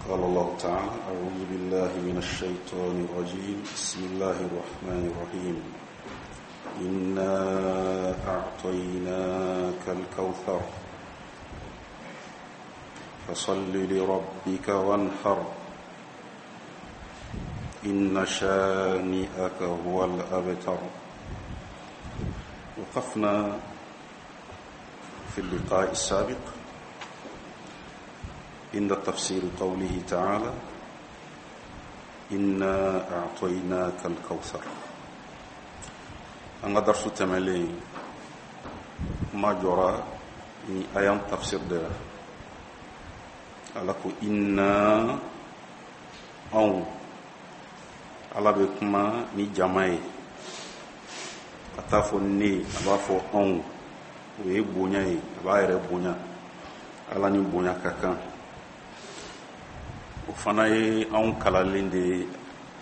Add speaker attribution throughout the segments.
Speaker 1: قال الله تعالى أعوذ بالله من الشيطان الرجيم بسم الله الرحمن الرحيم إنا أعطيناك الكوثر فصل لربك وانحر إن شانئك هو الأبتر وقفنا في اللقاء السابق عند تفسير قوله تعالى إنا أعطيناك الكوثر an ka darisu tɛmɛlen kuma jɔra ni aya in tafsir de la ala ko inna anw ala bɛ kuma ni jama ye a t'a fɔ ne a b'a fɔ anw o ye bonya ye a b'a yɛrɛ bonya ala ni bonya ka kan o fana ye anw kalalen de ye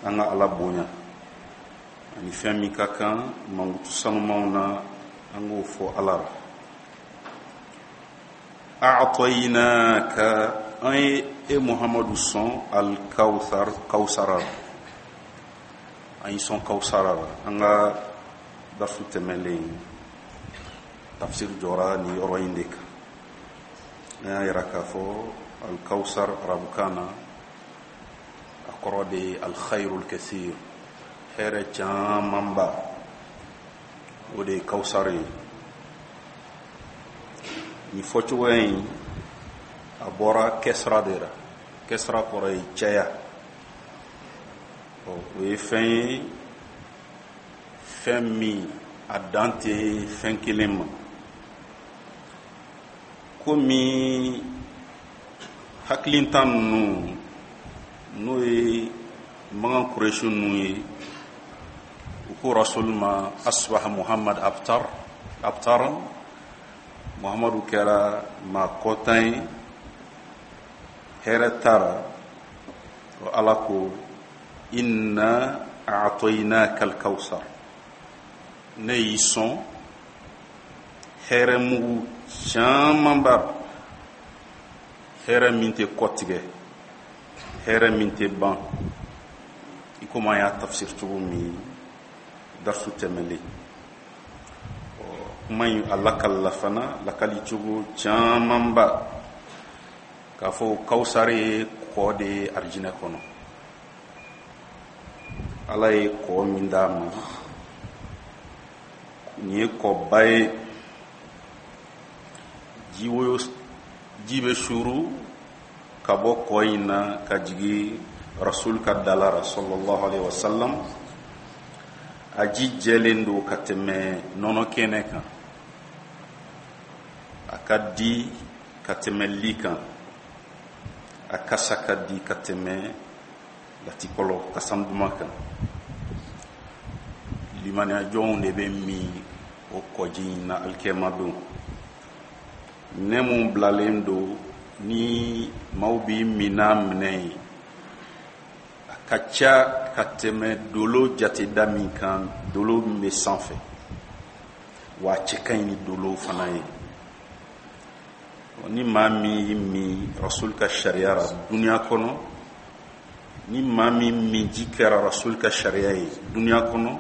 Speaker 1: an ka ala bonya ani fɛn min ka kan mankutu sanumanw na an k'o fɔ ala la a'tainaka an ye e muhamadu sɔn alkawthar kawsara la an y'i sɔn kawsara la an ka darisu tɛmɛlen tafsir jɔra nin yɔrɔ in de kan an y'a yira k'a fɔ alkawsar arabukan na a kɔrɔ de ye alkhairul kathir hɛrɛ camanba o de ye kawsar ye nin fɔcogoya in a bɔra kɛsira de la kɛsira kɔrɔ ye caya o ye fɛn ye fɛn min a dan tɛ fɛn kelen ma komi hakilintan ninnu n'o ye makan kuresi ninnu ye u ko rasul ma asbaha muhammad abtar abtaran muhammadu kɛra maa kɔtan ye hɛrɛ t'a ra o ala ko inna a'tainaka alkawsar ne y'i sɔn hɛrɛ mugu camanba hɛrɛ min tɛ kɔtigɛ hɛrɛ min tɛ ban i komi an y'a tafsir cogo min darisu tɛmɛlen kuma in a lakalila fana lakali cogo camanba k'a fɔ kawusari ye kɔ de ye arijinɛ kɔnɔ ala ye kɔ min d'a ma nin ye kɔba ye jiwoyo ji bɛ suuru ka bɔ kɔ in na ka jigin rasul ka dala ra sallallahu alaihi wasallam a ji jɛlen don ka tɛmɛ nɔnɔ kɛnɛ kan a ka di ka tɛmɛ li kan a kasa ka di ka tɛmɛ latikɔlɔ kasan duman kan limaniyajɔnw de bɛ min o kɔji in na alikiyama don minɛn mun bilalen don ni maaw b'i min n'a minɛn ye a ka ca ka tɛmɛ dolo jateda min kan dolo min bɛ sanfɛ wa a cɛ ka ɲi ni dolo fana ye ni maa min y'i min rasul ka sariya ra duniya kɔnɔ ni maa min minji kɛra rasul ka sariya ye duniya kɔnɔ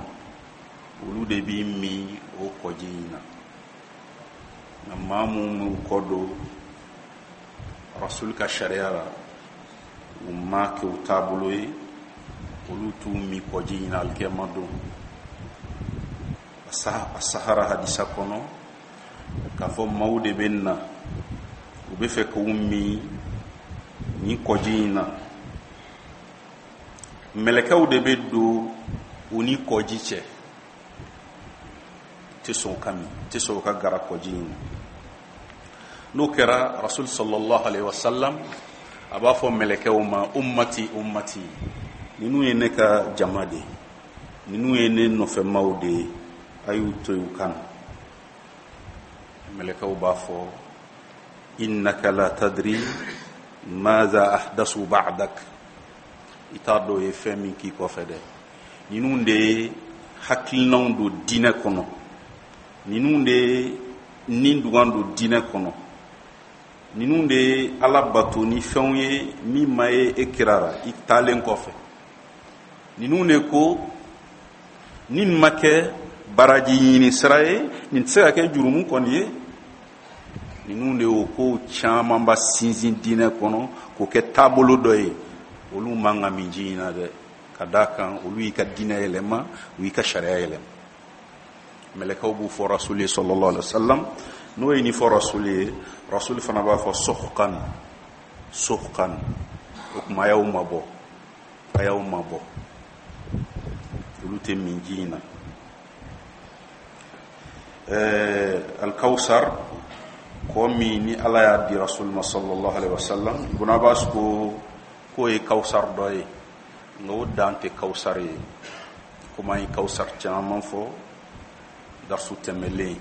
Speaker 1: olu de b'i min o kɔji in na nka maa minnu m'u kɔ don rasul ka sariya la u m'a kɛ u taabolo ye olu t'u min kɔji in na alikiyama don a sahara hadisa kɔnɔ k'a fɔ maaw de bɛ na u bɛ fɛ k'u min nin kɔji in na mɛlɛkɛw de bɛ don u ni kɔji cɛ tɛ sɔn ka min tɛ sɔn ka gara kɔji in na n'o kɛra rasul sallallahu alaihi wasallam a b'a fɔ mɛlɛkɛw ma ummati ummati ninnu ye ne ka jama de ye ninnu ye ne nɔfɛmaw de ye a y'u to yen u ka na mɛlɛkɛw b'a fɔ innaka la tadri maza ahdasu ba'dak i t'a dɔn u ye fɛn min k'i kɔfɛ dɛ ninnu de ye hakilinaw don diinɛ kɔnɔ ninnu de ye ni dugan don diinɛ kɔnɔ Ninnu de ye Ala bato ni fɛnw ye min ma ye e kira ra i taalen kɔfɛ. Ninnu de ko ni nin ma kɛ baraji ɲini sira ye, nin tɛ se ka kɛ jurumu kɔni ye. Ninnu de y'o ko camanba sinsin diinɛ kɔnɔ k'o kɛ taabolo dɔ ye. Olu man ka min ji in na dɛ, ka d'a kan olu y'i ka diinɛ yɛlɛma, u y'i ka sariya yɛlɛma. Mɛlɛkɛw b'u fɔ rasuli ye sallallahu alaihi wasallam. N'o ye nin fɔ rasuli ye, rasuli fana b'a fɔ suhqan, suhqan. O tuma a y'aw mabɔ, a y'aw mabɔ. Olu tɛ min ji in na. Alkawusar, kɔ min ni Ala y'a di rasuli ma sallallahu alaihi wasallam, Ibn Abbas ko k'o ye kawusar dɔ ye, nka o dan tɛ kawusar ye. Komi an ye kawusar caman fɔ darsu tɛmɛlen,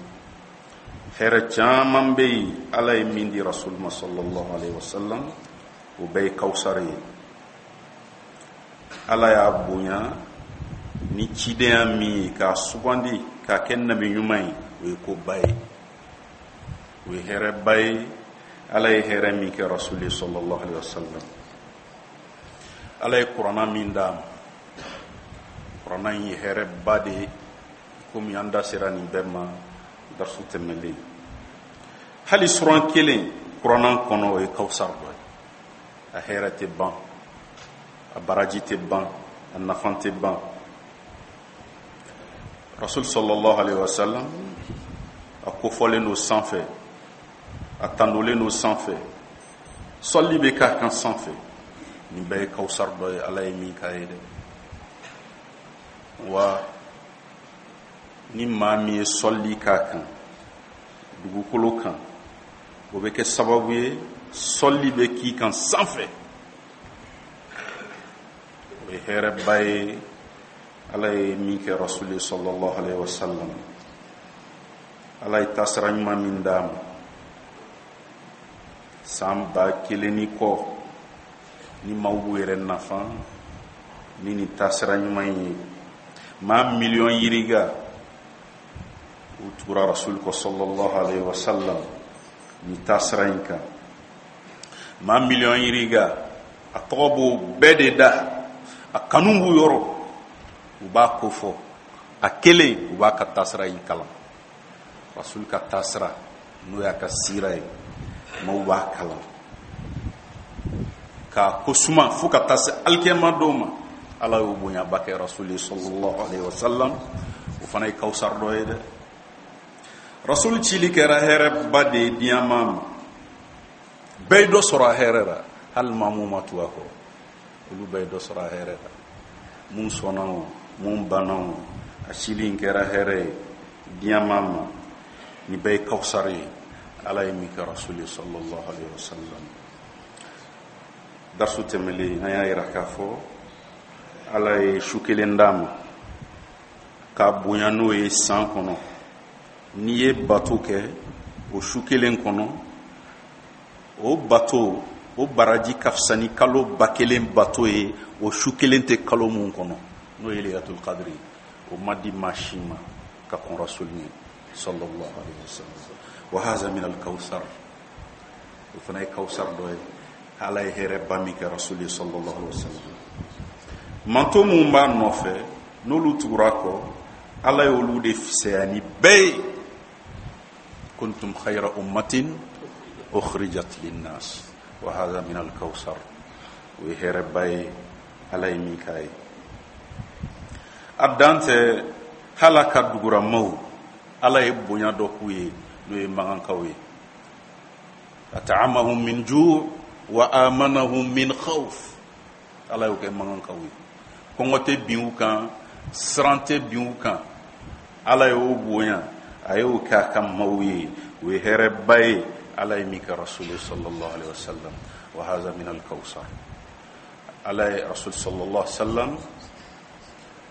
Speaker 1: hɛrɛ caman bɛ yen Ala ye min di rasuli ma sallallahu alaihi wasallam, o bɛɛ ye kawusar ye. Ala y'a bonya ni cidenya min ye k'a sugandi k'a kɛ nabi ɲuman ye, o ye koba ye, o ye hɛrɛba ye. Ala ye hɛrɛ min kɛ rasuli sallallahu alaihi wasallam, Ala ye kuranna min d'a ma, kuranna in ye hɛrɛba de ye. Komi an da sera nin bɛɛ ma darsu tɛmɛlen, hali suran kelen kuranna kɔnɔ, o ye kawusar dɔ ye. A hɛrɛ tɛ ban, a baraji tɛ ban, a nafa tɛ ban. Rasul sallallahu alaihi wasallam, a kofɔlen don sanfɛ, a tandolen don sanfɛ, sɔli bɛ k'a kan sanfɛ. Nin bɛɛ ye kawusar dɔ ye Ala ye min k'a ye dɛ. Wa ni maa min ye sɔli k'a kan dugukolo kan, o bɛ kɛ sababu ye sɔli bɛ k'i kan sanfɛ. O ye hɛrɛba ye Ala ye min kɛ rasuli sallallahu alaihi wasallam. Ala ye taasira ɲuman min d'a ma san 1000 ni kɔ, ni maaw b'u yɛrɛ nafa ni nin taasira ɲuman in ye, maa miliyɔn yirika u tugura rasuli kɔ sallallahu alaihi wasallam ni taasira in kan. Maa miliyɔn yirika, a tɔgɔ b'o bɛɛ de da, a kanu b'u yɔrɔ, u b'a kofɔ, a kelen u b'a ka taasira in kalan. Rasuli ka taasira, n'o y'a ka sira ye, maaw b'a kalan k'a ko suma fo ka taa se alikiyama don ma. Ala y'o bonyaba kɛ rasuli sallallahu alaihi wasallam. O fana ye kawusar dɔ ye dɛ. Rasuli cili kɛra hɛrɛba de ye diɲɛ maa ma, bɛɛ ye dɔ sɔrɔ a hɛrɛ la. Hali maa mun ma tugu a kɔ, olu bɛɛ ye dɔ sɔrɔ a hɛrɛ la. Mun sɔnna o, mun banna o, a cili in kɛra hɛrɛ ye diɲɛ maa ma. Nin bɛɛ ye kawusar ye Ala ye min kɛ rasuli sallallahu alaihi wasallam. Darsu tɛmɛlen, an y'a yira k'a fɔ Ala ye su kelen d'a ma k'a bonya n'o ye san kɔnɔ. N'i ye bato kɛ o su kelen kɔnɔ, o bato o baraji ka fisa ni kalo 1000 bato ye o su kelen tɛ kalo mun kɔnɔ, n'o ye Laylatul Qadr ye. O ma di maa si ma ka kɔn rasuli ɲɛ sallallahu alaihi wasallam. Wa haza min al-kawthar, o fana ye kawusar dɔ ye Ala ye hɛrɛba min kɛ rasuli sallallahu alaihi wasallam. Manto mun b'a nɔfɛ, n'olu tugura kɔ, Ala y'olu de fisaya ni bɛɛ ye. Kuntum khayra ummatin ukhrijat linnas, wa hadha min al-kawthar. O ye hɛrɛba ye Ala ye min k'a ye. A dan tɛ, hali a ka duguramaw, Ala ye bonya dɔ k'u ye, n'o ye magankaw ye. At'amahum min ju' wa amanahum min khawf. Ala y'o kɛ magankaw ye. Kɔngɔ tɛ bin u kan, siran tɛ bin u kan. Ala y'o bonya, a y'o kɛ a ka maaw ye. O ye hɛrɛba ye Ala ye min kɛ rasuli sallallahu alaihi wasallam. Wa hadha min al-kawthar. Ala ye rasul sallallahu alaihi wasallam,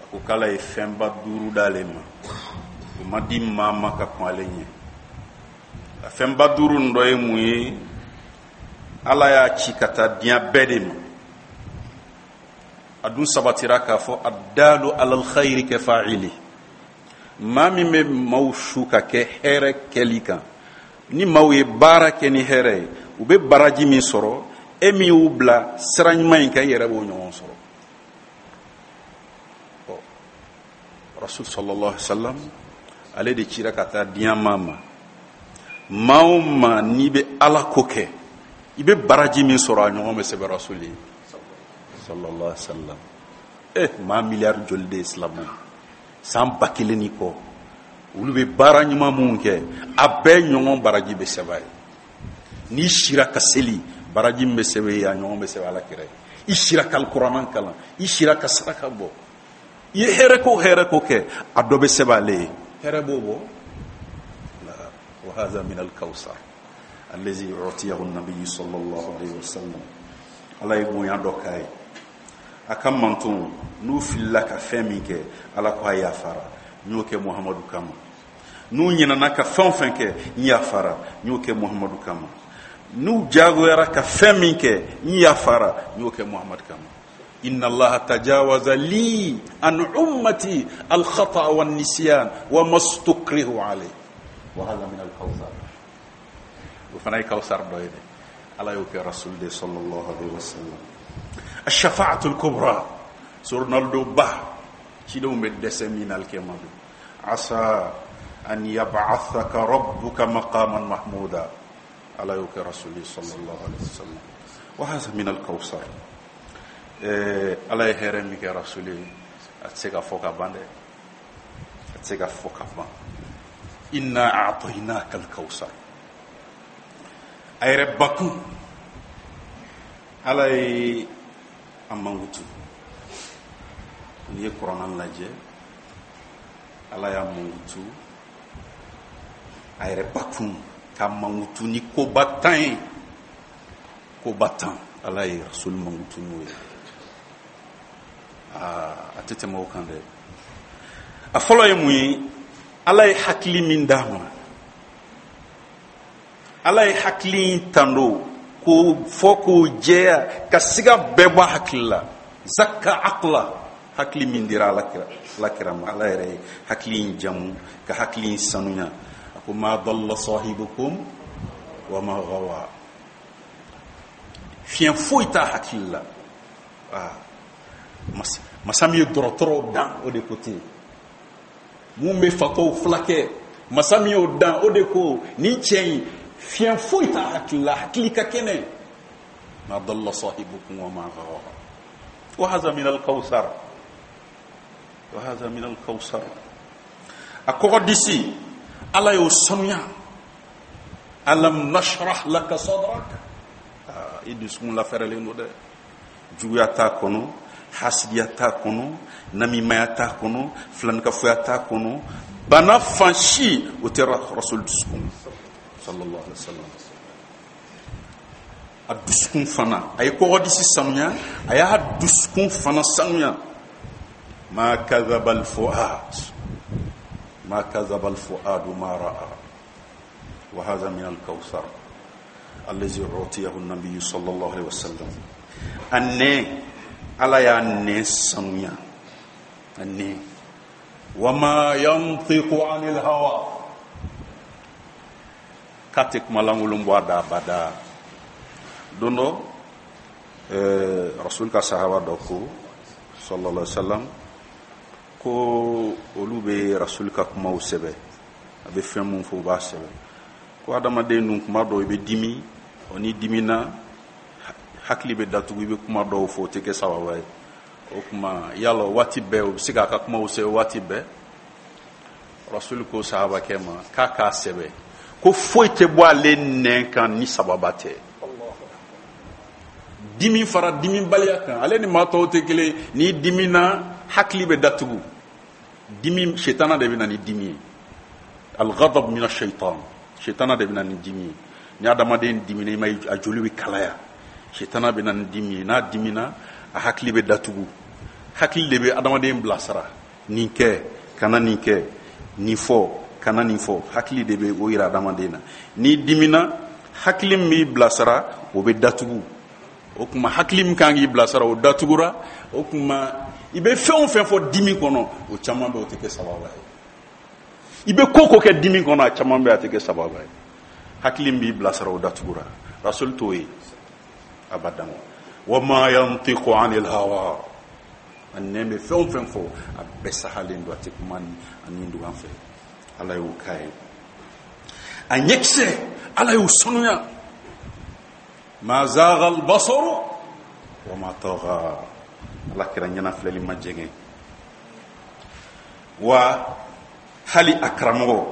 Speaker 1: a ko k'Ala ye fɛnba 5 d'ale ma, o ma di maa ma ka kɔn ale ɲɛ. A fɛnba 5 nin dɔ ye mun ye? Ala y'a ci ka taa diɲɛ bɛɛ de ma. A dun sabatira k'a fɔ addalu alal khayri ka fa'ili. Maa min bɛ maaw su ka kɛ hɛrɛ kɛli kan, Ni maaw ye baara kɛ ni hɛrɛ ye, u bɛ baraji min sɔrɔ, e min y'u bila sira ɲuman in kan, i yɛrɛ b'o ɲɔgɔn sɔrɔ. Ɔ, Rasul sallallahu alaihi wasallam, ale de cira ka taa diɲɛ maa ma. Maa o maa n'i bɛ Ala ko kɛ, i bɛ baraji min sɔrɔ, a ɲɔgɔn bɛ sɛbɛn Rasul ye sallallahu alaihi wasallam. Maa miliyari joli de ye silamɛ ye san 1000 ni kɔ, olu bɛ baara ɲuman minnu kɛ, a bɛɛ ɲɔgɔn baraji bɛ sɛbɛn a ye. N'i sira ka seli, baraji min bɛ sɛbɛn ye, a ɲɔgɔn bɛ sɛbɛn Ala kira ye. I sira ka alikuranɛ kalan, i sira ka saraka bɔ, i ye hɛrɛ ko hɛrɛ ko kɛ, a dɔ bɛ sɛbɛn ale ye. Hɛrɛ b'o bɔ. Wa haza min al-kawsar allazi utiyahu an-nabiy sallallahu alayhi wa sallam. Ala ye bonya dɔ k'a ye. A ka manton n'u filila ka fɛn min kɛ, Ala ko a yafara, n y'o kɛ Muhamadu kama. N'u ɲinana ka fɛn o fɛn kɛ, n yafara, n y'o kɛ Muhamadu kama. N'u jagoyara ka fɛn min kɛ, n yafara, n y'o kɛ Muhamadu kama. Inna Allaha tajawaza li an ummati al-khata'a wan nisyan wa mastukrihu alayhi. Wa hadha min al-kawthar. O fana ye kawsar dɔ ye dɛ. Ala y'o kɛ Rasul de sallallahu alaihi wasallam. Ash-shafa'atu al-kubra, Ronaldo ba, cidenw bɛ dɛsɛ min na alikiyama don. Asa an yab'athaka rabbuka maqaman mahmuda. Ala y'o kɛ Rasul sallallahu alaihi wasallam. Wa hadha min al-kawsar. Ala ye hɛrɛ min kɛ Rasul ye, a tɛ se ka fɔ ka ban dɛ. A tɛ se ka fɔ ka ban. Inna a'tainaka al-kawsar. A yɛrɛ bakun, Ala ye a mankutu. N'i ye kuranɛ lajɛ, Ala y'a mankutu a yɛrɛ bakun ka mankutu ni koba 10 ye. Koba 10, Ala ye Rasul mankutu n'o ye. A tɛ tɛmɛ o kan dɛ. A fɔlɔ ye mun ye? Ala ye hakili min d'a ma, Ala ye hakili in tando k'o fɔ k'o jɛya ka siga bɛɛ bɔ hakili la. Zakka aqla, hakili min dira Ala kira ma, Ala yɛrɛ ye hakili in jamu ka hakili in sanuya. A ko ma dalla sahibukum wa ma gawa. Fiɲɛ foyi t'a hakili la. Masa min ye dɔgɔtɔrɔw dan, o de ko ten. Mun bɛ fatɔw fulakɛ, masa min y'o dan, o de ko nin cɛ in fiɲɛ foyi t'a hakili la, hakili ka kɛnɛ. Ma dalla sahibukum wa ma gawa. Wa haza min al-kawsar. Wa haza min al-kawsar. A kɔgɔ disi, Ala y'o sanuya. Alam nashrah laka sadrak. I dusukun lafɛrɛlen don dɛ. Juguya t'a kɔnɔ, hasidiya t'a kɔnɔ, namimaya t'a kɔnɔ, filanikafoya t'a kɔnɔ, bana fan si o tɛ Rasul dusukun sallallahu alaihi wasallam. A dusukun fana, a ye kɔgɔdisi sanuya, a y'a dusukun fana sanuya. Ma kadhaba al-fuad, ma kadhaba al-fuad ma ra'a. Wa hadha min al-kawthar allazi utiyahu an-nabiy sallallahu alaihi wasallam. A nɛn, Ala y'a nɛn sanuya. A nɛn. Wa ma yantiqu anil hawa. K'a tɛ kuma lankolon bɔ a da abada. Don dɔ, Rasul ka sahaba dɔ ko sallallahu alaihi wasallam ko olu bɛ Rasul ka kumaw sɛbɛn, a bɛ fɛn mun fɔ u b'a sɛbɛn. Ko adamaden dun kuma dɔw i bɛ dimi, ɔ n'i dimina hakili bɛ datugu, i bɛ kuma dɔw fɔ o tɛ kɛ sababa ye. O kuma yala waati bɛɛ o bɛ se k'a ka kumaw sɛbɛn waati bɛɛ? Rasul ko sahabakɛ ma k'a k'a sɛbɛn, ko foyi tɛ bɔ ale nɛn kan ni sababa tɛ. Dimi fara dimibaliya kan, ale ni maa tɔw tɛ kelen. N'i dimina hakili bɛ datugu. Dimi, shetana de bɛ na ni dimi ye. Al-ghadab min ash-shaytan, shetana de bɛ na ni dimi ye. Ni adamaden dimina, i ma ye a joli bɛ kalaya. Shetana bɛ na ni dimi ye. N'a dimina, a hakili bɛ datugu. Hakili de bɛ adamaden bilasira. Nin kɛ, kana nin kɛ, nin fɔ, kana nin fɔ. Hakili de bɛ o yira adamaden na. N'i dimina, hakili min b'i bilasira, o bɛ datugu. O tuma hakili min kan k'i bilasira, o datugura. O tuma i bɛ fɛn o fɛn fɔ dimi kɔnɔ, o caman bɛ o tɛ kɛ sababa ye. I bɛ ko ko kɛ dimi kɔnɔ, a caman bɛ a tɛ kɛ sababa ye. Hakili b'i bilasira, o datugura. Rasul t'o ye abadan. Wa ma yantiqu anil hawa, a nɛn bɛ fɛn o fɛn fɔ, a bɛɛ sahalen don, a tɛ kuma ni a ni dugan fɛ. Ala y'o k'a ye. A ɲɛkisɛ, Ala y'o sanuya. Ma zagha al-basaru wa ma tagha, Ala kira ɲɛnafilɛli ma jɛngɛ. Wa hali a karamɔgɔ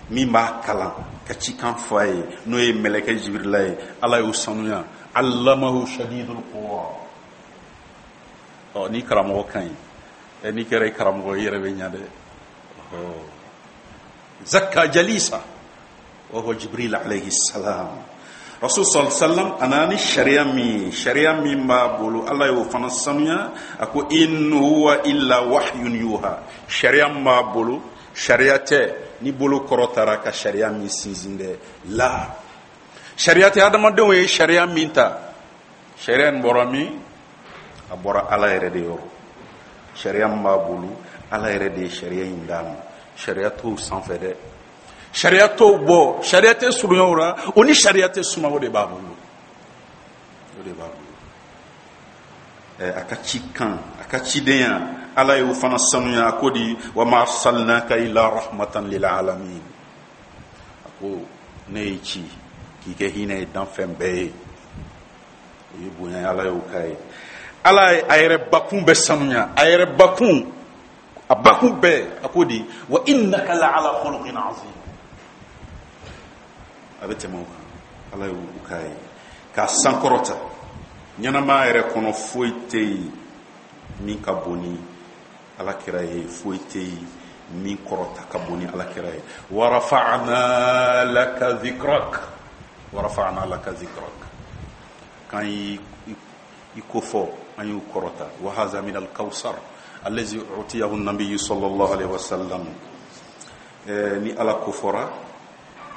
Speaker 1: min b'a kalan ka cikan fɔ a ye, n'o ye mɛlɛkɛ Jibirila ye, Ala y'o sanuya. Allamahu shadidul quwa. Ɔ, ni karamɔgɔ ka ɲi, ɛ, n'i kɛra i karamɔgɔ, i yɛrɛ bɛ ɲa dɛ. Zakka jalisa wa huwa Jibril alayhi salam. Rasul sallallahu alaihi wasallam a nana ni sariya min ye, sariya min b'a bolo, Ala y'o fana sanuya. A ko in huwa illa wahyun yuha. Sariya min b'a bolo, sariya tɛ ni bolo kɔrɔtara ka sariya min sinsin dɛ. La, sariya tɛ adamadenw ye sariya min ta. Sariya in bɔra min? A bɔra Ala yɛrɛ de yɔrɔ. Sariya min b'a bolo, Ala yɛrɛ de ye sariya in d'a ma. Sariya t'o sanfɛ dɛ, sariya t'o bɔ, sariya tɛ surunya o la, o ni sariya tɛ suma. O de b'a bolo, o de b'a bolo. Ɛ, a ka cikan, a ka cidenya, Ala y'o fana sanuya. A ko di? Wa ma arsalnaka illa rahmatan lil alamin. A ko ne y'i ci k'i kɛ hinɛ ye danfɛn bɛɛ ye. O ye bonya ye, Ala y'o k'a ye. Ala ye a yɛrɛ bakun bɛɛ sanuya, a yɛrɛ bakun, a bakun bɛɛ. A ko di? Wa innaka la ala khuluqin azim. A bɛ tɛmɛ o kan. Ala y'o k'a ye k'a sankɔrɔta. Ɲɛnamaya yɛrɛ kɔnɔ, foyi tɛ yen min ka bon ni Ala kira ye, foyi tɛ yen min kɔrɔta ka bon ni Ala kira ye. Wa rafa'na laka dhikrak, wa rafa'na laka dhikrak, k'an y'i i ko fɔ, an y'u kɔrɔta. Wa haza min al-kawsar allazi utiyahu an-nabiy sallallahu alaihi wasallam. Ni Ala ko fɔra,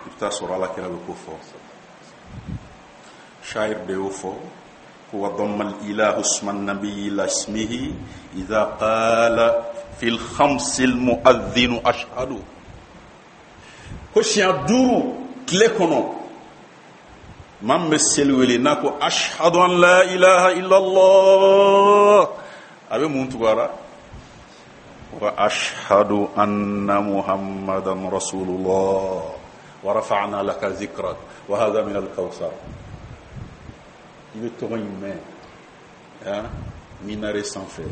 Speaker 1: i bɛ taa sɔrɔ Ala kira bɛ ko fɔ. Shair de y'o fɔ ko wa damma al-ilahu isma an-nabiy ila ismihi idha qala fi al-khams al-mu'adhdhin ashhadu. Ko siɲɛ 5 tile kɔnɔ, maa min bɛ seli wele, n'a ko ashhadu an la ilaha illallah, a bɛ mun tugu a la? Wa ashhadu anna muhammadan rasulullah. Wa rafa'na laka dhikrak. Wa hadha min al-kawthar. I bɛ tɔgɔ in mɛn minare sanfɛ,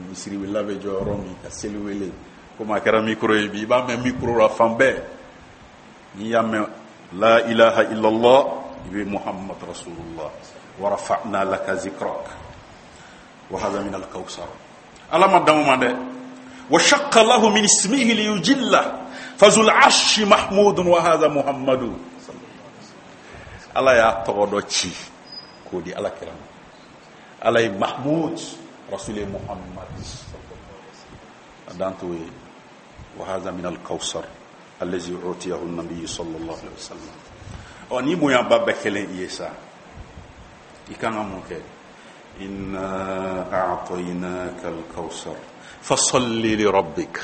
Speaker 1: misiriwela bɛ jɔ yɔrɔ min ka seli wele, komi a kɛra micro ye bi, i b'a mɛn micro la fan bɛɛ. N'i y'a mɛn la ilaha illallah, i bɛ muhammad rasulullah. Wa rafa'na laka zikrak. Wa hadha min al-kawthar. Ala ma dan o ma dɛ. Wa shaqqa lahu min ismihi liyujilla fazul arshi mahmudun wa hadha muhammadu. Ala y'a tɔgɔ dɔ ci k'o di Ala kira ma. Ala ye Mahmud, Rasul ye Muhammad. A dan t'o ye. Wa hadha min al-kawthar allazi utiyahu an-nabiy sallallahu alaihi wasallam. Ɔ, ni bonyaba bɛɛ kɛlen i ye sa, i kan ka mun kɛ? Inna a'tainaka al-kawthar fasalli li rabbik.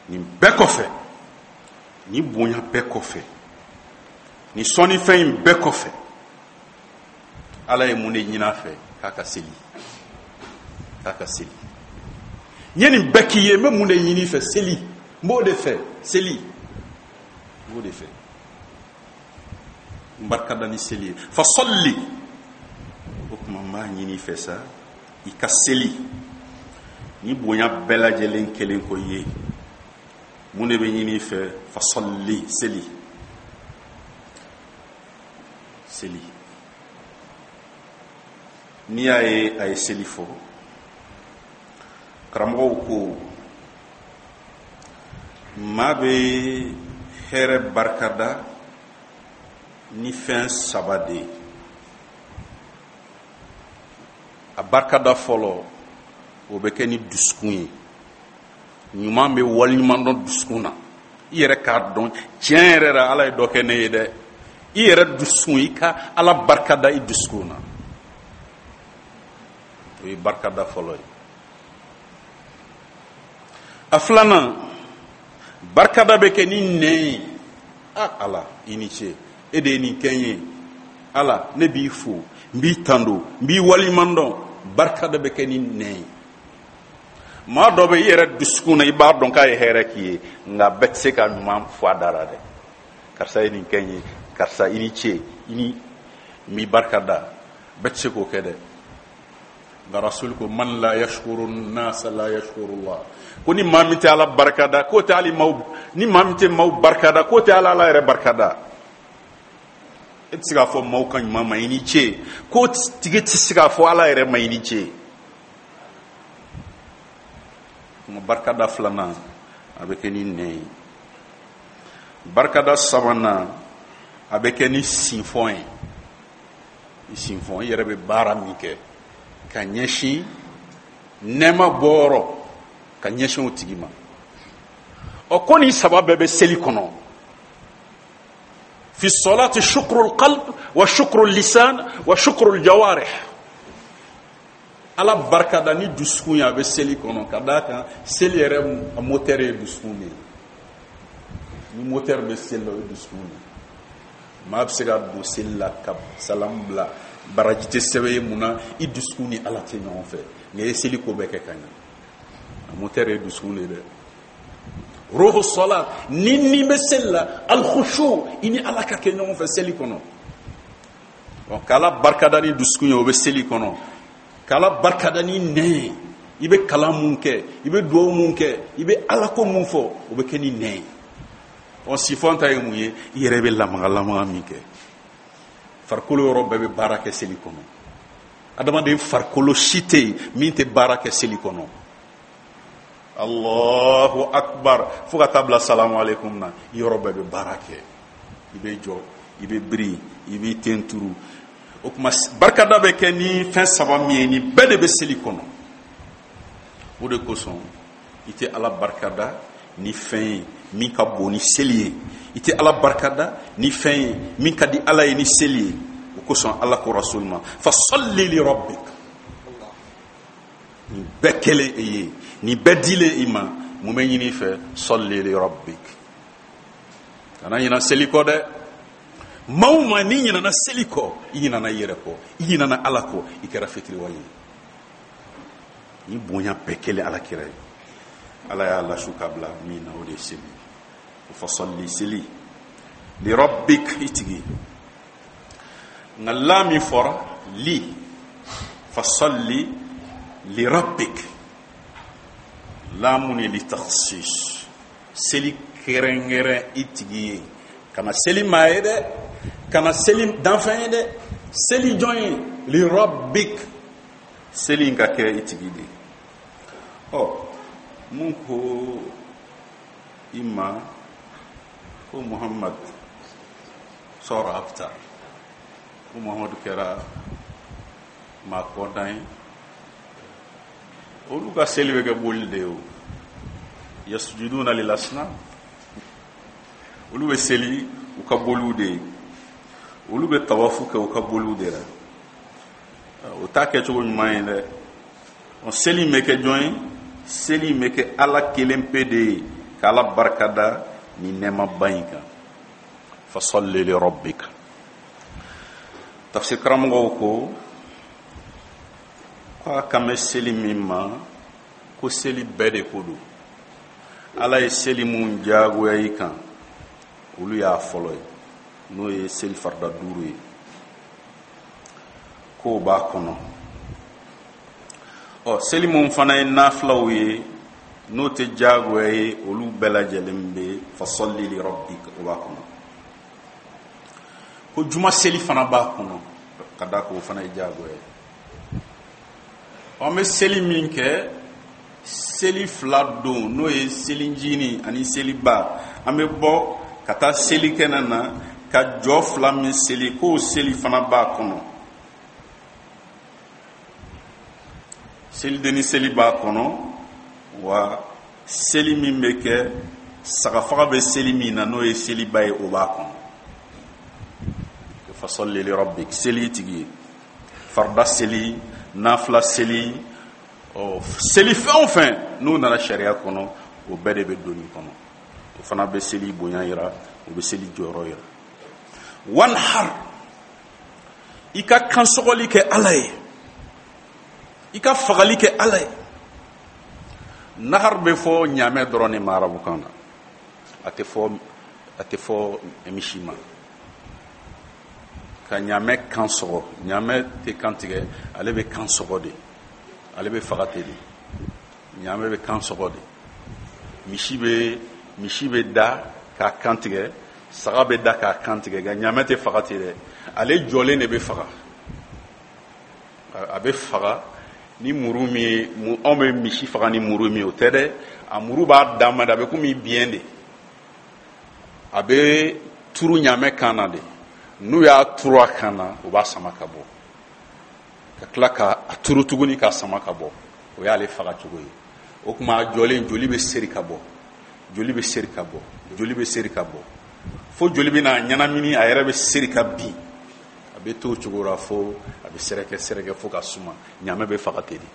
Speaker 1: Nin bɛɛ kɔfɛ, ni bonya bɛɛ kɔfɛ, ni sɔnnifɛn in bɛɛ kɔfɛ, Ala ye mun de ɲini a fɛ? K'a ka seli, k'a ka seli. N ye nin bɛɛ k'i ye, n bɛ mun de ɲini i fɛ? Seli, n b'o de fɛ. Seli, n b'o de fɛ. N barika da ni seli ye. Fasalli, o tuma n b'a ɲini i fɛ sa, i ka seli. Ni bonya bɛɛ lajɛlen kelen ko i ye, mun de bɛ ɲini i fɛ? Fasalli, seli, seli. N'i y'a ye a ye seli fɔ, karamɔgɔw ko maa bɛ hɛrɛ barikada ni fɛn 3 de ye. A barikada fɔlɔ, o bɛ kɛ ni dusukun ye. Ɲuman bɛ waleɲuman dɔn dusukun na. I yɛrɛ k'a dɔn tiɲɛ yɛrɛ la, Ala ye dɔ kɛ ne ye dɛ. I yɛrɛ dusukun, i ka Ala barikada i dusukun na, o ye barikada fɔlɔ ye. A filanan, Barikada bɛ kɛ ni nɛn ye. A Ala, i ni ce, e de ye nin kɛ n ye. Ala, ne b'i fo, n b'i tando, n b'i waleɲuman dɔn. Barikada bɛ kɛ ni nɛn ye. Maa dɔ bɛ i yɛrɛ dusukun na, i b'a dɔn k'a ye hɛrɛ k'i ye, nka bɛɛ tɛ se ka ɲuman fɔ a da la dɛ. Karisa ye nin kɛ n ye, karisa i ni ce, i ni n b'i barika da. Bɛɛ tɛ se k'o kɛ dɛ. Nka Rasuli ko man la yashkuru nasa la yashkuru Allah, ko ni maa min tɛ Ala barika da, k'o tɛ hali maaw, ni maa min tɛ maaw barika da, k'o tɛ Ala Ala yɛrɛ barika da. E tɛ se k'a fɔ maaw ka ɲuman ma i ni ce, k'o tigi tɛ se k'a fɔ Ala yɛrɛ ma i ni ce. Kuma barikada filanan a bɛ kɛ ni nɛn ye. Barikada sabanan a bɛ kɛ ni sinfɔn ye. I sinfɔn, i yɛrɛ bɛ baara min kɛ ka ɲɛsin nɛɛma bɔyɔrɔ, ka ɲɛsin o tigi ma. Ɔ, ko nin saba bɛɛ bɛ seli kɔnɔ. Fi salati shukrul qalb wa shukrul lisan wa shukrul jawarih. Ala barikada ni dusukun ye, a bɛ seli kɔnɔ, ka d'a kan seli yɛrɛ moteur ye dusukun de ye. Ni moteur bɛ seli la, o ye dusukun de ye. Maa bɛ se ka don seli la ka salamu bila, baraji tɛ sɛbɛn ye. Mun na? I dusukun ni Ala tɛ ɲɔgɔn fɛ. Nka i ye seli ko bɛɛ kɛ ka ɲɛ, a moteur ye dusukun de ye dɛ. Ruhu sɔla, ni ni bɛ seli la, alkhushu, i ni Ala ka kɛ ɲɔgɔn fɛ seli kɔnɔ. Ɔ, k'Ala barikada ni dusukun ye, o bɛ seli kɔnɔ. K'Ala barikada ni nɛn ye, i bɛ kalan mun kɛ, i bɛ dugawu mun kɛ, i bɛ Alako mun fɔ, o bɛ kɛ ni nɛn ye. Ɔ, sifɔn ta ye mun ye? I yɛrɛ bɛ lamaga lamaga min kɛ, farikolo yɔrɔ bɛɛ bɛ baara kɛ seli kɔnɔ. Adamaden farikolo si tɛ yen min tɛ baara kɛ seli kɔnɔ. Allahu akbar fo ka taa bila salamu aleykum na, i yɔrɔ bɛɛ bɛ baara kɛ. I bɛ jɔ, i bɛ biri, i b'i ten turu. O tuma barikada bɛ kɛ ni fɛn saba min ye, nin bɛɛ de bɛ seli kɔnɔ. O de kosɔn i tɛ Ala barikada ni fɛn ye min ka bon ni seli ye, i tɛ Ala barikada ni fɛn ye min ka di Ala ye ni seli ye. O kosɔn Ala ko Rasul ma fasalli li rabbik. Nin bɛɛ kɛlen e ye, nin bɛɛ dilen i ma, mun bɛ ɲini i fɛ? Salli li rabbik. Kana ɲina seli kɔ dɛ. Maa o maa n'i ɲinana seli kɔ, i ɲinana i yɛrɛ kɔ, i ɲinana Ala kɔ, i kɛra fitiriwale ye. Ni bonya bɛɛ kɛlen Ala kira ye, Ala y'a lasu ka bila min na, o de ye seli. O fasalli, seli, li rabbik, i tigi. Nka la min fɔra li, fasalli li rabbik, lamu ni li takhsis, seli kɛrɛnkɛrɛn i tigi ye. Kana seli maa ye dɛ, kana seli danfɛn ye dɛ, seli jɔn ye? Li rabbik, seli in ka kɛ i tigi de ye. Ɔ, mun ko i ma ko Muhammad sɔrɔ abtar, ko Muhammadu kɛra maa kɔdan ye? Olu ka seli bɛ kɛ boli de ye. O yasujuduna lil asnam, olu bɛ seli u ka boliw de ye, olu bɛ tawafu kɛ u ka boliw de la. O t'a kɛcogo ɲuman ye dɛ. Ɔ, seli in bɛ kɛ jɔn ye? Seli in bɛ kɛ Ala kelen pe de ye, k'Ala barikada ni nɛɛmaba in kan. Fasalli li rabbika. Tafsir karamɔgɔw ko k'a kan bɛ seli min ma, ko seli bɛɛ de ko don. Ala ye seli mun diyagoya i kan, olu y'a fɔlɔ ye, n'o ye seli farida 5 ye, k'o b'a kɔnɔ. Ɔ, seli mun fana ye nafilaw ye, n'o tɛ diyagoya ye, olu bɛɛ lajɛlen bɛ fasalli li rabbik, o b'a kɔnɔ. Ko juma seli fana b'a kɔnɔ, ka d'a kan o fana ye diyagoya ye. An bɛ seli min kɛ seli 2 don, n'o ye selicinin ani seliba, an bɛ bɔ ka taa selikɛnɛ na ka jɔ 2 min seli, k'o seli fana b'a kɔnɔ. Selidenni seli b'a kɔnɔ, wa seli min bɛ kɛ sagafaga bɛ seli min na, n'o ye seliba ye, o b'a kɔnɔ. Fasalli li rabbik, seli tigi ye, farida seli, nafila seli, ɔ, seli fɛn o fɛn n'o nana sariya kɔnɔ, o bɛɛ de bɛ don nin kɔnɔ. O fana bɛ seli bonya yira, o bɛ seli jɔyɔrɔ yira. Wanhar, i ka kansɔgɔli kɛ Ala ye, i ka fagali kɛ Ala ye. Nahar bɛ fɔ ɲaamɛ dɔrɔn de ma arabukan na, a tɛ fɔ misi ma. Ka ɲaamɛ kan sɔgɔ, ɲaamɛ tɛ kan tigɛ, ale bɛ kan sɔgɔ de, ale bɛ faga ten de. Ɲaamɛ bɛ kan sɔgɔ de. Misi bɛ da k'a kan tigɛ, saga bɛ da k'a kan tigɛ, nka ɲaamɛ tɛ faga ten dɛ. Ale jɔlen de bɛ faga. A bɛ faga ni muru min ye, anw bɛ misi faga ni muru min ye, o tɛ dɛ. A muru b'a dan ma de, a bɛ komi biyɛn de, a bɛ turu ɲaamɛ kan na de. N'u y'a turu a kan na, u b'a sama ka bɔ, ka tila ka a turu tuguni k'a sama ka bɔ. O y'ale faga cogo ye. O tuma a jɔlen, joli bɛ seri ka bɔ, joli bɛ seri ka bɔ, joli bɛ seri ka bɔ, fo joli bɛ n'a ɲɛnamini, a yɛrɛ bɛ seri ka bin. A bɛ to o cogo la fo a bɛ sɛrɛkɛ sɛrɛkɛ fo ka suma. Ɲaamɛ bɛ faga ten de.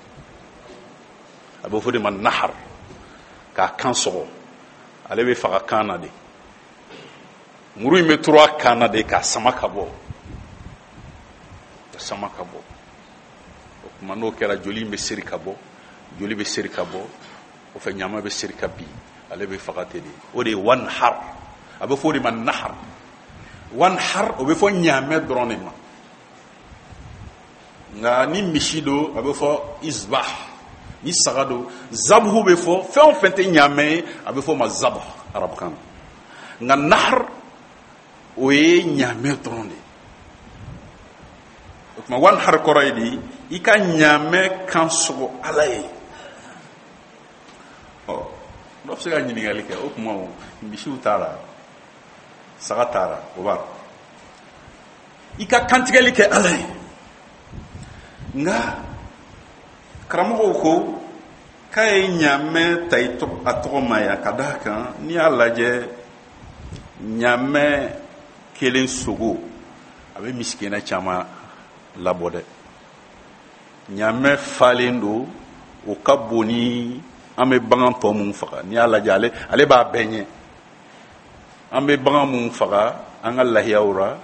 Speaker 1: A bɛ fɔ de ma nahar, k'a kan sɔgɔ. Ale bɛ faga kan na de. Muru in bɛ turu a kan na de k'a sama ka bɔ, ka sama ka bɔ. O tuma n'o kɛra, joli in bɛ seri ka bɔ, joli bɛ seri ka bɔ o fɛ, ɲaamɛ bɛ seri ka bin, ale bɛ faga ten de. O de ye wanhar, a bɛ fɔ o de ma nahar. Wanhar, o bɛ fɔ ɲaamɛ dɔrɔn de ma. Nka ni misi don, a bɛ fɔ izbah. Ni saga don, zabuhu bɛ fɔ. Fɛn o fɛn tɛ ɲaamɛ ye, a bɛ fɔ o ma zabuh arabukan na. Nka nahar, o ye ɲaamɛ dɔrɔn de ye. O tuma wanhar kɔrɔ ye di? I ka ɲaamɛ kan sɔgɔ Ala ye. Ɔ, dɔ bɛ se ka ɲininkali kɛ: o tuma misiw t'a la, saga t'a la, o b'a la? I ka kantigɛli kɛ Ala ye. Nka karamɔgɔw ko k'a ye ɲaamɛ ta a tɔgɔ ma yan ka d'a kan, n'i y'a lajɛ, ɲaamɛ kelen sogo, a bɛ misikinɛ caman labɔ dɛ. Ɲaamɛ falen don, o ka bon ni an bɛ bagan tɔ mun faga. N'i y'a lajɛ, ale b'a bɛɛ ɲɛ. An bɛ bagan mun faga an ka lahiyaw ra,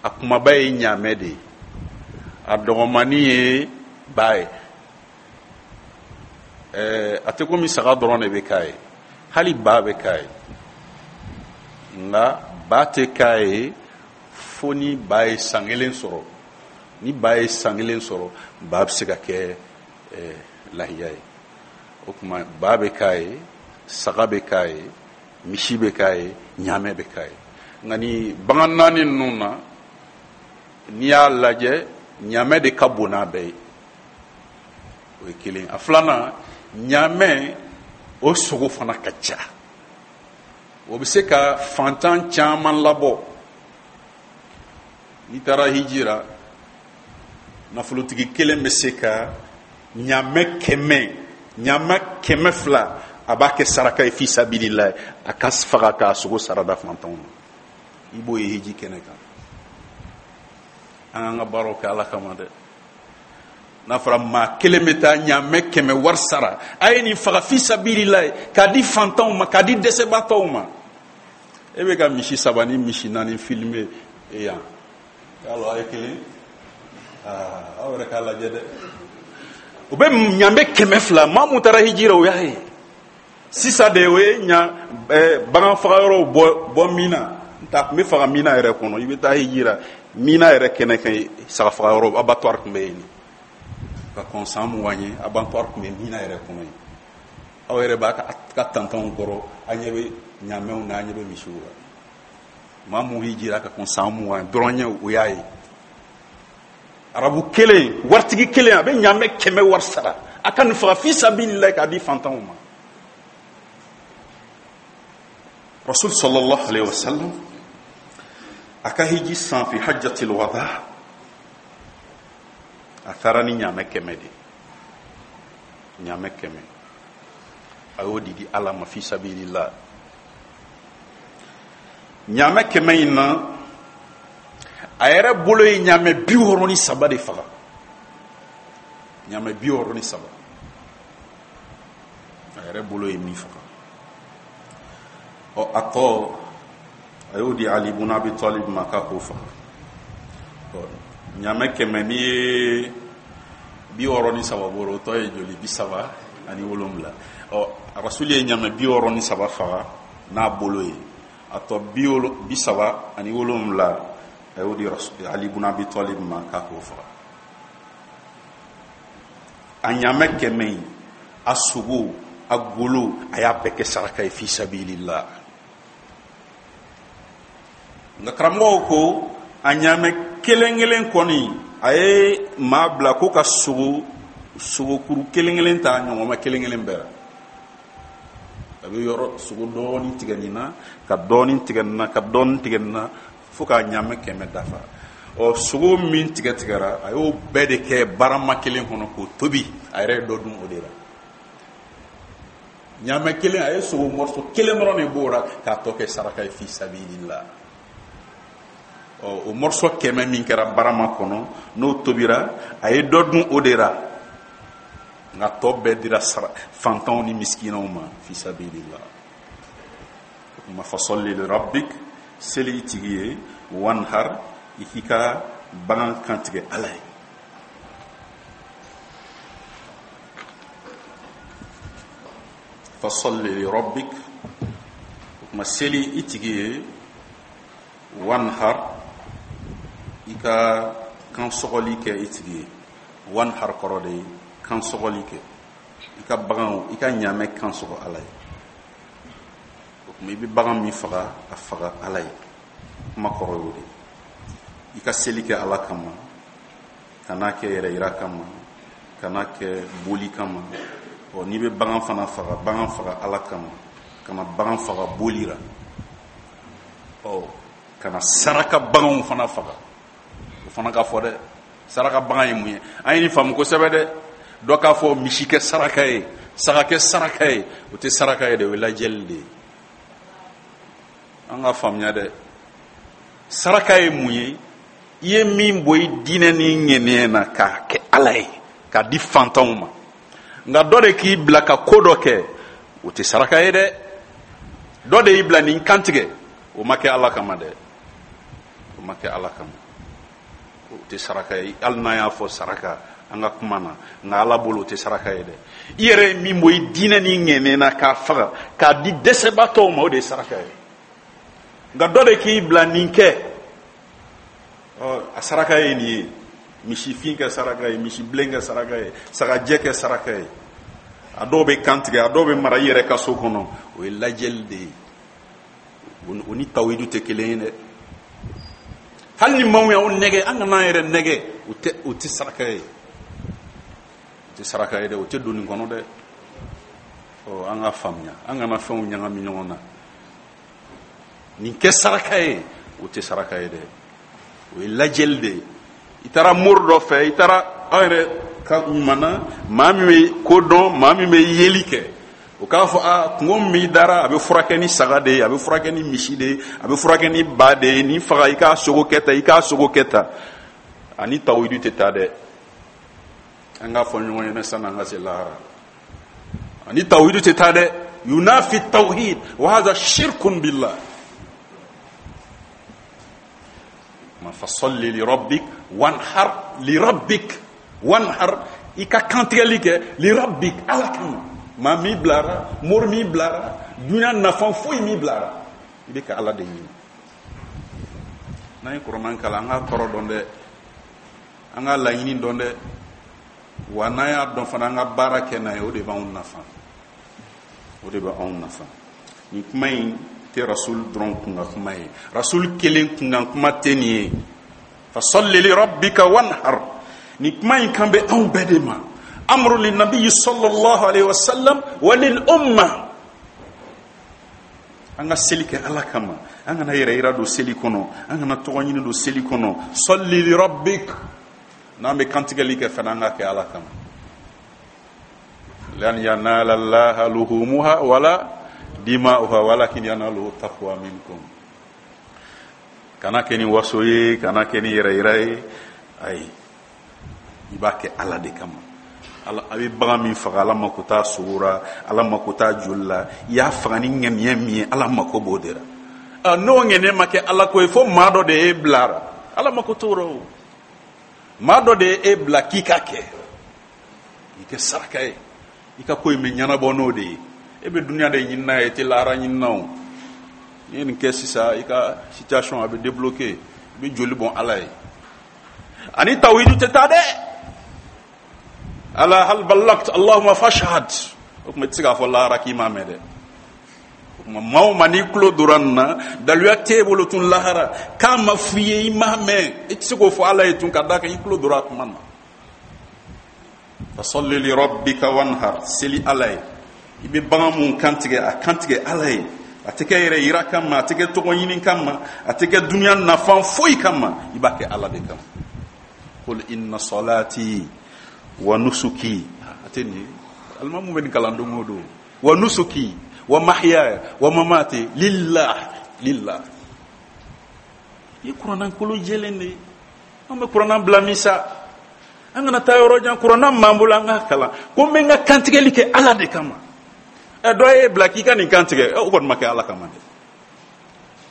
Speaker 1: a kumaba ye ɲaamɛ de ye, a dɔgɔmani ye ba ye. A tɛ komi saga dɔrɔn de bɛ k'a ye, hali ba bɛ k'a ye. Nka ba tɛ k'a ye fo ni ba ye san kelen sɔrɔ. Ni ba ye san kelen sɔrɔ, ba bɛ se ka kɛ lahiya ye. O tuma ba bɛ k'a ye, saga bɛ k'a ye, misi bɛ k'a ye, ɲaamɛ bɛ k'a ye. Nka ni bagan naani ninnu na, n'i y'a lajɛ, ɲaamɛ de ka bon n'a bɛɛ ye. O ye kelen. A filanan, ɲaamɛ o sogo fana ka ca, o bɛ se ka fantan caman labɔ. N'i taara hiji ra, nafolotigi kelen bɛ se ka ɲaamɛ 100, ɲaamɛ 200, a b'a kɛ saraka ye fi sabilillah, a ka faga k'a sogo sarada fantanw ma. I b'o ye hiji kɛnɛ kan. An k'an ka baaraw kɛ Ala kama dɛ. N'a fɔra maa kelen bɛ taa ɲaamɛ 100 wari sara, a ye nin faga fi sabilillah k'a di fantanw ma, k'a di dɛsɛbaatɔw ma, e bɛ ka misi saba ni misi naani filmer yan, y'a a ye kelen, aw yɛrɛ k'a lajɛ dɛ. O bɛ ɲaamɛ 200. Maa mun taara hiji la, o y'a ye sisan de. O ye ɲa bagan faga yɔrɔw bɔ min na, n ta tun bɛ faga mina yɛrɛ kɔnɔ. I bɛ taa hiji la, mina yɛrɛ kɛnɛ kan, saga faga yɔrɔ, abattoir tun bɛ yen ka kɔn san 20 ye. Abattoir tun bɛ mina yɛrɛ kɔnɔ yen. Aw yɛrɛ b'a ka tantanw kɔrɔ, an ɲɛ bɛ ɲaamɛw na, an ɲɛ bɛ misiw la. Maa mun hijira ka kɔn san 20 dɔrɔn ɲɛ, o y'a ye. Arabu kelen, waritigi kelen, a bɛ ɲaamɛ 100 wari sara, a ka nin faga fi sabilillah k'a di fantanw ma. Rasul sallallahu alaihi wasallam a ka hiji san, fi hajjatil wada, a taara ni ɲaamɛ 100 de. Ɲaamɛ 100, a y'o di Ala ma fi sabilillah. Ɲaamɛ 100 in na, a yɛrɛ bolo ye ɲaamɛ 63 de faga. Ɲaamɛ 63, a yɛrɛ bolo ye min faga. Ɔ, a tɔ, a y'o di Ali ibn Abi Talib ma k'a k'o faga. Ɔ, ɲaamɛ 100, n'i ye 63 bɔ, o tɔ ye joli? 37. Ɔ, Rasuli ye ɲaamɛ 63 faga n'a bolo ye. A tɔ 37, a y'o di Ali ibn Abi Talib ma k'a k'o faga. A ɲaamɛ 100 in, a sogo, a golo, a y'a bɛɛ kɛ saraka ye fi sabilillah. Nka karamɔgɔw ko a ɲaamɛ kelen kelen kɔni, a ye maa bila ko ka sogokuru kelen kelen ta ɲɔgɔnma kelen kelen bɛɛ la. A bɛ yɔrɔ sogo dɔɔnin tigɛ nin na, ka dɔɔnin tigɛ nin na, ka dɔɔnin tigɛ nin na, fo k'a ɲaamɛ 100 dafa. Ɔ, sogo min tigɛ tigɛra, a y'o bɛɛ de kɛ barama kelen kɔnɔ k'o tobi. A yɛrɛ ye dɔ dun o de la. Ɲaamɛ kelen, a ye sogo morceau kelen dɔrɔn de b'o la k'a tɔ kɛ saraka ye fi sabilillah. Ɔ, o morceau 100 min kɛra barama kɔnɔ, n'o tobira, a ye dɔ dun o de la, nka tɔ bɛɛ dira fantanw ni misikinaw ma fi sabilillah. O tuma, fasalli li rabbik, seli i tigi ye, wanhar, i k'i ka bagan kantigɛ Ala ye. Fasalli li rabbik, o tuma seli i tigi ye, wanhar, i ka kansɔgɔli kɛ i tigi ye. Wanhar kɔrɔ de ye kansɔgɔli kɛ, i ka baganw, i ka ɲaamɛ kansɔgɔ Ala ye. O tuma i bɛ bagan min faga, a faga Ala ye. Kuma kɔrɔ y'o de ye. I ka seli kɛ Ala kama, kan'a kɛ yɛrɛ yira kama, kan'a kɛ boli kama. Ɔ, n'i bɛ bagan fana faga, bagan faga Ala kama, kana bagan faga boli la. Ɔ, kana saraka baganw fana faga. O fana ka fɔ dɛ, saraka bagan ye mun ye? An ye nin faamu kosɛbɛ dɛ. Dɔ k'a fɔ misi kɛ saraka ye, saga kɛ saraka ye, o tɛ saraka ye dɛ, o ye lajɛli de ye. An ka faamuya dɛ, saraka ye mun ye? I ye min bɔ i diinɛ ni ŋɛniya na k'a kɛ Ala ye, k'a di fantanw ma. Nka dɔ de k'i bila ka ko dɔ kɛ, o tɛ saraka ye dɛ. Dɔ de y'i bila nin kantigɛ, o ma kɛ Ala kama dɛ, o ma kɛ Ala kama, o tɛ saraka ye. Hali n'an y'a fɔ saraka an ka kuma na, nka Ala bolo o tɛ saraka ye dɛ. I yɛrɛ ye min bɔ i diinɛ ni ŋɛniya na k'a faga k'a di dɛsɛbaatɔw ma, o de ye saraka ye. Nka dɔ de k'i bila nin kɛ, ɔ, a saraka ye nin ye, misifin kɛ saraka ye, misibilen kɛ saraka ye, sagajɛ kɛ saraka ye. A dɔw bɛ kan tigɛ, a dɔw bɛ mara i yɛrɛ ka so kɔnɔ, o ye lajɛli de ye. O ni tawhidu tɛ kelen ye dɛ. Hali ni maaw y'anw nɛgɛ, an kana an yɛrɛ nɛgɛ, o tɛ saraka ye, o tɛ saraka ye dɛ, o tɛ don nin kɔnɔ dɛ. Ɔ, an ka faamuya, an kana fɛnw ɲagami ɲɔgɔn na. Nin kɛ saraka ye, o tɛ saraka ye dɛ, o ye lajɛli de ye. I taara mori dɔ fɛ, i taara aw yɛrɛ ka ɲuman na, maa min bɛ ko dɔn, maa min bɛ yeli kɛ, o k'a fɔ a kungo min b'i dara, a bɛ furakɛ ni saga de ye, a bɛ furakɛ ni misi de ye, a bɛ furakɛ ni ba de ye, nin faga, i k'a sogo kɛ tan, i k'a sogo kɛ tan. Ani tawhidu tɛ taa dɛ. An k'a fɔ ɲɔgɔn ɲɛna sanni an ka se lahara, ani tawhidu tɛ taa dɛ. Yunafi tawhid wa hadha shirkun billah. Ma fasalli li rabbik wanhar li rabbik, wanhar, i ka kantigɛli kɛ li rabbik, Ala kama. Maa min bilara, mori min bilara, dunya nafa foyi min bilara, i bɛ ka Ala de ɲini. N'an ye kuranɛ kalan, an k'a kɔrɔ dɔn dɛ, an k'a laɲini dɔn dɛ. Wa n'an y'a dɔn fana, an ka baara kɛ n'a ye, o de b'anw nafa, o de bɛ anw nafa. Nin kuma in tɛ Rasul dɔrɔn kunkan kuma ye, Rasul kelen kunkan kuma tɛ nin ye. Fasalli li rabbika wanhar, nin kuma in kan bɛ anw bɛɛ de ma. Amru lin nabiyyi sallallahu alaihi wasallam wa lil umma. An ka seli kɛ Ala kama, an kana yɛrɛ yira don seli kɔnɔ, an kana tɔgɔ ɲini don seli kɔnɔ. Salli li rabbik, n'an bɛ kantigɛli kɛ fana, an ka kɛ Ala kama. Lan yanala Allaha luhumuha wala dima'uha walakin yanaluhu taqwa minkum. Kana kɛ ni waso ye, kana kɛ ni yɛrɛ yira ye, ayi, i b'a kɛ Ala de kama. A bɛ bagan min faga, Ala mako t'a sogo ra, Ala mako t'a joli la. I y'a faga ni ŋaniya min ye, Ala mako b'o de ra. N'o ŋaniya ma kɛ Ala ko ye, fo maa dɔ de y'e bila ra, Ala mako t'o ra. O maa dɔ de ye e bila k'i ka kɛ, i kɛ saraka ye, i ka ko in bɛ ɲɛnabɔ n'o de ye. E bɛ dunuya de ɲini n'a ye, e tɛ lahara ɲini na. O n'i ye nin kɛ sisan, i ka situation a bɛ débloquer, i bɛ joli bɔn Ala ye. Ani tawhidu tɛ taa dɛ. Ala hal ballagt allahumma fashhad. O tuma i tɛ se k'a fɔ lahara k'i m'a mɛn dɛ. O tuma maa o maa n'i tulo donna nin na, daluya t'e bolo tun lahara k'a ma f'i ye i m'a mɛn, i tɛ se k'o fɔ Ala ye tun, ka d'a kan i tulo donna a kuma na. Fasalli li rabbika wanhar, seli Ala ye. I bɛ bagan mun kantigɛ, a kantigɛ Ala ye. A tɛ kɛ yɛrɛ yira kama, a tɛ kɛ tɔgɔ ɲini kama, a tɛ kɛ dunuya nafa foyi kama, i b'a kɛ Ala de kama. Qul inna salati wa nusuki, a tɛ nin ye, alimamu bɛ nin kalan don o don, wa nusuki wa mahyaya wa mamati lillah lillah. I ye kuranna kolo jɛlen de ye. An bɛ kuranna bila min sa, an kana taa yɔrɔ jan, kuranna m'an bolo, an k'a kalan ko n bɛ n ka kantigɛli kɛ Ala de kama. Ɛ, dɔ y'e bila k'i ka nin kantigɛ, o kɔni ma kɛ Ala kama dɛ,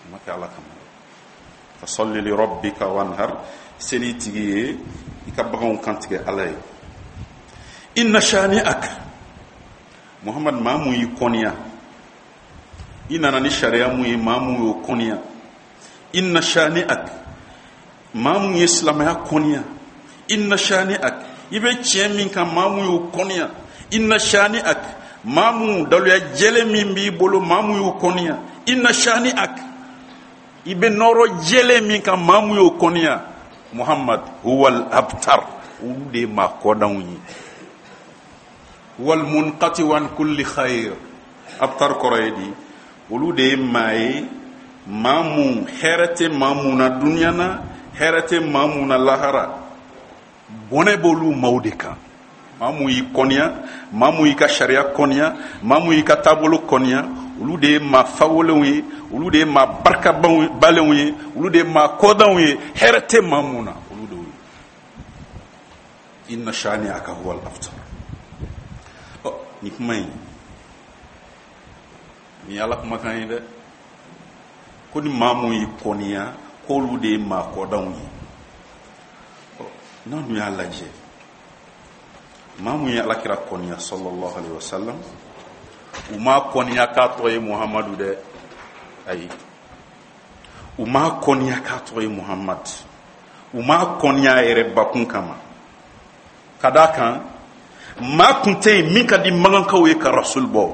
Speaker 1: o ma kɛ Ala kama dɛ. Fasalli li rabbika wanhar, seli tigi ye, i ka baganw kantigɛ Ala ye. Inna shani'aka, Muhammad, maa mun y'i kɔniya, i nana ni sariya mun ye, maa mun y'o kɔniya. Inna shani'ak, maa mun ye silamɛya kɔniya. Inna shani'ak, i bɛ tiɲɛ min kan, maa mun y'o kɔniya. Inna shani'ak, maa mun daluya jɛlen min b'i bolo, maa mun y'o kɔniya. Inna shani'ak, i bɛ nɔrɔ jɛlen min kan, maa mun y'o kɔniya. Muhammad, huwal abtar, olu de ye maa kɔdanw ye. Wal munqati an kulli khair, abtar kɔrɔ ye di, olu de ye maa ye, maa mun hɛrɛ tɛ maa mun na dunuya na, hɛrɛ tɛ maa mun na lahara, bɔnɛ b'olu maaw de kan. Maa mun y'i kɔniya, maa mun y'i ka sariya kɔniya, maa mun y'i ka taabolo kɔniya, olu de ye maa fawolenw ye, olu de ye maa barikabalenw ye, olu de ye maa kɔdanw ye, hɛrɛ tɛ maa mun na, olu de y'o ye. Inna shani'aka huwal abtar. Ɔ, nin kuma in, nin ye Ala kumakan ye dɛ, ko ni maa mun y'i kɔniya, k'olu de ye maa kɔdanw ye. Ɔ, n'an dun y'a lajɛ, maa mun ye Alakira kɔniya sallallahu alaihi wasallam, u m'a kɔniya k'a tɔgɔ ye Muhamadu dɛ, ayi, u m'a kɔniya k'a tɔgɔ ye Muhamadu, u m'a kɔniya a yɛrɛ bakun kama, ka d'a kan maa kun tɛ yen min ka di magankaw ye ka rasul bɔ.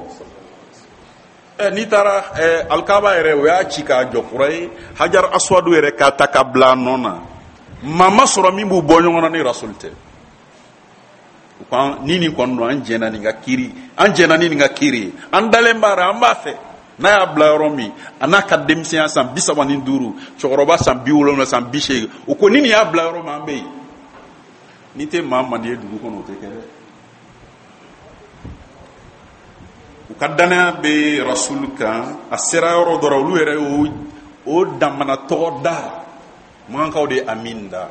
Speaker 1: Ɛ, n'i taara alikaba yɛrɛ, o y'a ci k'a jɔ kura ye, hajar aswadu yɛrɛ k'a ta ka bila a nɔ na, maa ma sɔrɔ min b'u bɔ ɲɔgɔn na ni rasul tɛ. U ko ni nin kɔni don, an jɛnna nin ka kiiri, an jɛnna ni nin ka kiiri ye, an dalen b'a la, an b'a fɛ. N'a y'a bila yɔrɔ min, a n'a ka denmisɛnya san 35, cɛkɔrɔba san 70, san 80, u ko ni nin y'a bila yɔrɔ min, an bɛ yen. N'i tɛ maa mandi ye dugu kɔnɔ, o tɛ kɛ dɛ. U ka danaya bɛ rasul kan, a sera yɔrɔ dɔ la, olu yɛrɛ y'o o damana tɔgɔ da, makankaw de ye Amin da,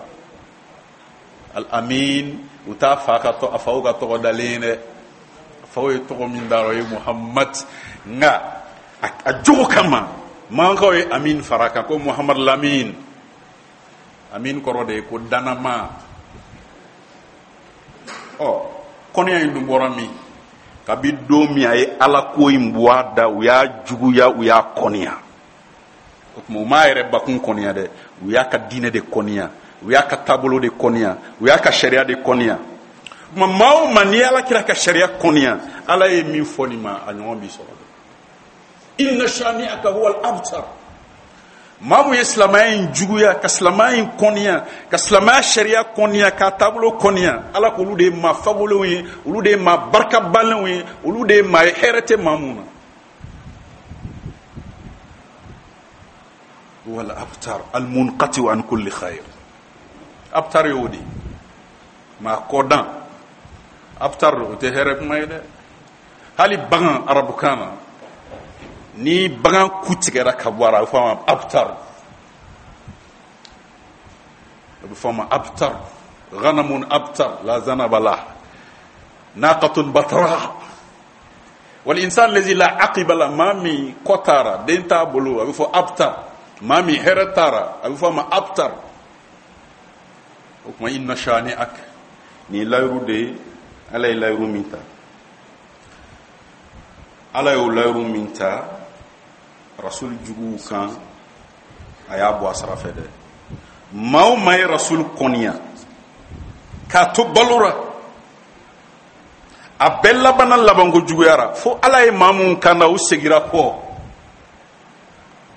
Speaker 1: al amin. U t'a fa ka tɔ, a faw ka tɔgɔ dalen ye dɛ, a faw ye tɔgɔ min da, o ye Muhammad, nka a jogo kama makankaw ye Amin fara kan, ko Muhammad Lamin. Amin kɔrɔ de ye ko danama. Ɔ, kɔniya in dun bɔra min? Kabi don min a ye Ala ko in bɔ a da, u y'a juguya, u y'a kɔniya. O tuma u m'a yɛrɛ bakun kɔniya dɛ, u y'a ka diinɛ de kɔniya, u y'a ka taabolo de kɔniya, u y'a ka sariya de kɔniya. O tuma maa o maa n'i ye Ala kira ka sariya kɔniya, Ala ye min fɔ nin ma, a ɲɔgɔn b'i sɔrɔ dɛ. Inna shani'aka huwal abtar. Maa mun ye silamɛya in juguya, ka silamɛya in kɔniya, ka silamɛya sariya kɔniya, k'a taabolo kɔniya, Ala k'olu de ye maa fagolenw ye, olu de ye maa barikabalenw ye, olu de ye maa ye hɛrɛ tɛ maa mun na. Wal abtar al munqati an kulli khair. Abtar y'o de ye, maa kɔdan. Abtar o tɛ hɛrɛ kuma ye dɛ. Hali bagan arabukan na, ni bagan ku tigɛra ka bɔ a la, a bɛ fɔ a ma abtar, a bɛ fɔ a ma abtar, ghanamun abtar la zanaba la. Naqatun batra wal insan lazi la aqiba la, maa min kɔ t'a ra, den t'a bolo, a bɛ fɔ abtar. Maa min hɛrɛ t'a ra, a bɛ fɔ a ma abtar. O tuma inna shani'ak, nin ye layiru de ye. Ala ye layiru min ta, Ala y'o layiru min ta Rasul juguw kan, a y'a bɔ a sara fɛ dɛ. Maa o maa ye Rasul kɔniya k'a to balo ra, a bɛɛ labanna labanko juguya ra, fo Ala ye maa minnu kanda, u segira kɔ.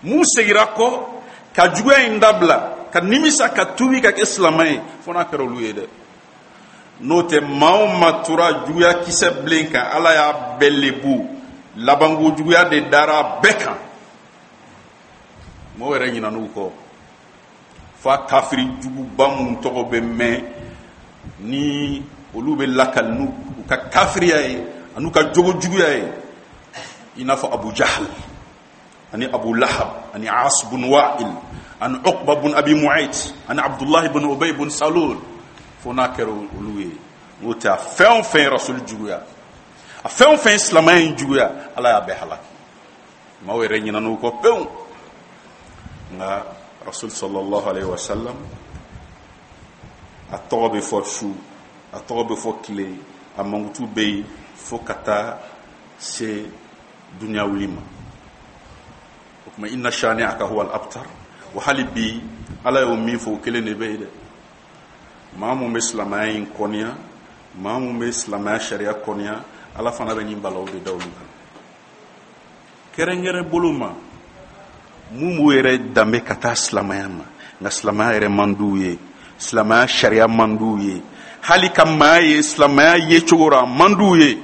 Speaker 1: Mun segira kɔ ka juguya in dabila, ka nimisa, ka tuubi, ka kɛ silamɛ ye, fo n'a kɛra olu ye dɛ. N'o tɛ, maa o maa tora juguya kisɛ bilen kan, Ala y'a bɛɛ lebu, labanko juguya de dara a bɛɛ kan. Mɔgɔw yɛrɛ ɲinan'u kɔ, f'a kafiri juguba minnu tɔgɔ bɛ mɛn ni olu bɛ lakali n'u ka kafiriya ye an'u ka jogo juguya ye, i n'a fɔ Abu Jahal ani Abu Lahab ani As bun Wa'il ani Uqba bun Abi Mu'ayt ani Abdullahi bun Ubay bun Salul, fo n'a kɛra olu ye. N'o tɛ, a fɛn o fɛn ye Rasuli juguya, a fɛn o fɛn ye silamɛya in juguya, Ala y'a bɛɛ halaki. Maaw yɛrɛ ɲinan'u kɔ pewu. Nka Rasul sallallahu alaihi wasallam, a tɔgɔ bɛ fɔ su, a tɔgɔ bɛ fɔ tile, a mankutu bɛ yen fo ka taa se duniya wuli ma. O tuma inna shani'aka huwa al-abtar. Wa hali bi, Ala y'o min fɔ, o kelen de bɛ yen dɛ. Maa mun bɛ silamɛya in kɔniya, maa mun bɛ silamɛya sariya kɔniya, Ala fana bɛ nin balaw de da olu kan. Kɛrɛnkɛrɛn bolo ma, mun b'u yɛrɛ danbe ka taa silamɛya ma, nka silamɛya yɛrɛ man d'u ye, silamɛya sariya man d'u ye, hali ka maa ye silamɛya ye cogo rɔ, a man d'u ye.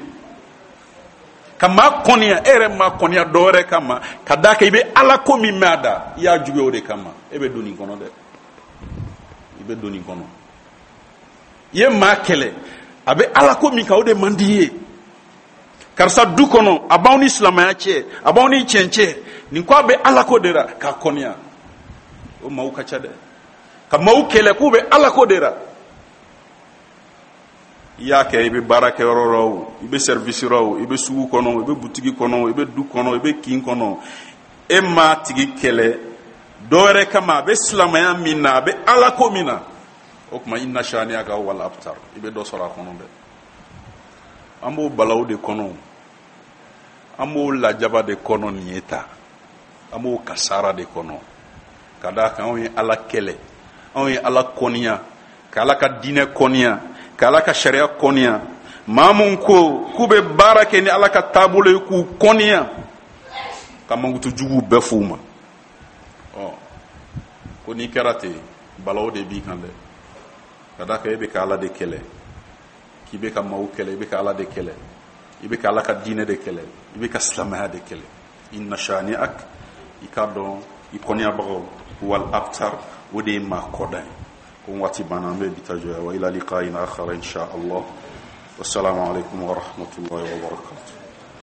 Speaker 1: Ka maa kɔniya, e yɛrɛ maa kɔniya dɔ wɛrɛ kama, ka d'a kan i bɛ Ala ko min mɛn a da, i y'a juguya o de kama, e bɛ don nin kɔnɔ dɛ, i bɛ don nin kɔnɔ. I ye maa kɛlɛ, a bɛ Ala ko min kan, o de man di i ye. Karisa du kɔnɔ, a b'aw ni silamɛya cɛ, a b'aw ni tiɲɛ cɛ, nin ko a bɛ Ala ko de la, k'a kɔniya. O maaw ka ca dɛ, ka maaw kɛlɛ k'u bɛ Ala ko de la. I y'a kɛ, i bɛ baara kɛ yɔrɔ la o, i bɛ service la o, i bɛ sugu kɔnɔ, i bɛ butigi kɔnɔ, i bɛ du kɔnɔ, i bɛ kin kɔnɔ, e m'a tigi kɛlɛ dɔ wɛrɛ kama, a bɛ silamɛya min na, a bɛ Ala ko min na. O tuma inna shani'aka huwal abtar, i bɛ dɔ sɔrɔ a kɔnɔ dɛ. An b'o balaw de kɔnɔ, an b'o lajaba de kɔnɔ, nin ye ta, an b'o kasara de kɔnɔ, ka d'a kan anw ye Ala kɛlɛ, anw ye Ala kɔniya, ka Ala ka diinɛ kɔniya, ka Ala ka sariya kɔniya. Maa mun ko k'u bɛ baara kɛ ni Ala ka taabolo ye, k'u kɔniya, ka mankutu juguw bɛɛ f'u ma. Ɔ ko n'i kɛra ten, balaw de b'i kan dɛ, ka d'a kan e bɛ ka Ala de kɛlɛ, k'i bɛ ka maaw kɛlɛ, i bɛ ka Ala de kɛlɛ, i bɛ ka Ala ka diinɛ de kɛlɛ, i bɛ ka silamɛya de kɛlɛ. Inna shani'ak, i k'a dɔn i kɔniyabagaw, wal abtar, o de ye maa kɔdan ye. Ko waati banna, an bɛ bi ta jɔ. Wa ila liqa'in akhar insha Allah. Wassalamu alaikum wa rahmatullahi wa barakatuh.